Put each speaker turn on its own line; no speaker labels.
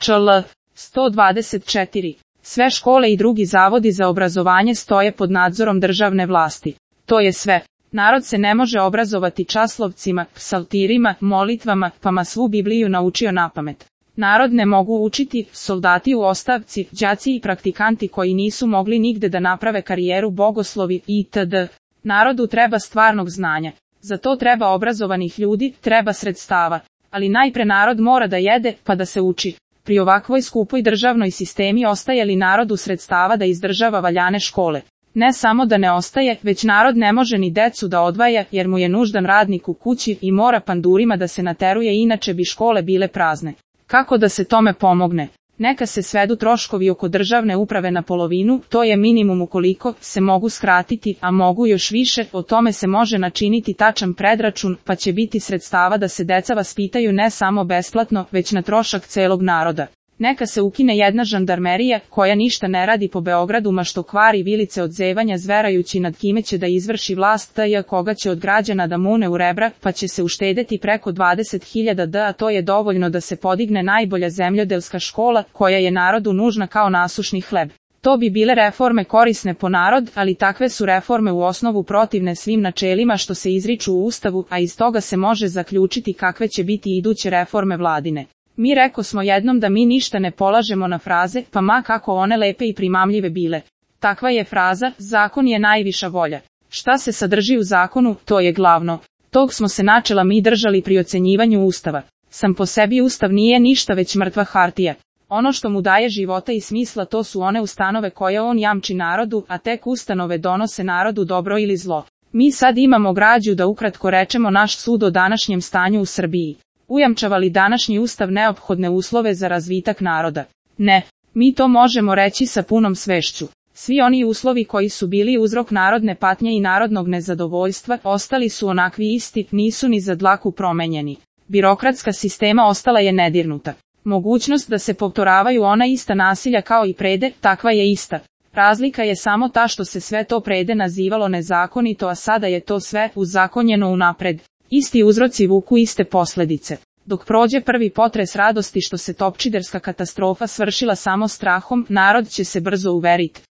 ČL 124. Sve škole i drugi zavodi za obrazovanje stoje pod nadzorom državne vlasti. To je sve. Narod se ne može obrazovati časlovcima, psaltirima, molitvama, pa ma svu Bibliju naučio napamet. Narod ne mogu učiti soldati u ostavci, đaci i praktikanti koji nisu mogli nigde da naprave karijeru, bogoslovi itd. Narodu treba stvarnog znanja. Za to treba obrazovanih ljudi, treba sredstava. Ali najpre narod mora da jede, pa da se uči. Pri ovakvoj skupoj državnoj sistemi ostaje li narodu sredstava da izdržava valjane škole? Ne samo da ne ostaje, već narod ne može ni decu da odvaja, jer mu je nuždan radnik u kući i mora pandurima da se nateruje, inače bi škole bile prazne. Kako da se tome pomogne? Neka se svedu troškovi oko državne uprave na polovinu, to je minimum ukoliko se mogu skratiti, a mogu još više, o tome se može načiniti tačan predračun, pa će biti sredstava da se deca vaspitaju ne samo besplatno, već na trošak celog naroda. Neka se ukine jedna žandarmerija, koja ništa ne radi po Beogradu, ma što kvari vilice od zevanja zverajući nad kime će da izvrši vlast t.j. koga će od građana da mune u rebra, pa će se uštedeti preko 20.000 d, a to je dovoljno da se podigne najbolja zemljodelska škola, koja je narodu nužna kao nasušni hleb. To bi bile reforme korisne po narod, ali takve su reforme u osnovu protivne svim načelima što se izriču u Ustavu, a iz toga se može zaključiti kakve će biti iduće reforme vladine. Mi reko smo jednom da mi ništa ne polažemo na fraze, pa ma kako one lepe i primamljive bile. Takva je fraza, zakon je najviša volja. Šta se sadrži u zakonu, to je glavno. Tog smo se načela mi držali pri ocenjivanju Ustava. Sam po sebi Ustav nije ništa već mrtva hartija. Ono što mu daje života i smisla to su one ustanove koje on jamči narodu, a tek ustanove donose narodu dobro ili zlo. Mi sad imamo građu da ukratko rečemo naš sud o današnjem stanju u Srbiji. Ujamčava li današnji Ustav neophodne uslove za razvitak naroda? Ne. Mi to možemo reći sa punom svešću. Svi oni uslovi koji su bili uzrok narodne patnje i narodnog nezadovoljstva, ostali su onakvi isti, nisu ni za dlaku promenjeni. Birokratska sistema ostala je nedirnuta. Mogućnost da se povtoravaju ona ista nasilja kao i prede, takva je ista. Razlika je samo ta što se sve to prede nazivalo nezakonito, a sada je to sve uzakonjeno unapred. Isti uzroci vuku iste posledice. Dok prođe prvi potres radosti što se topčiderska katastrofa svršila samo strahom, narod će se brzo uveriti.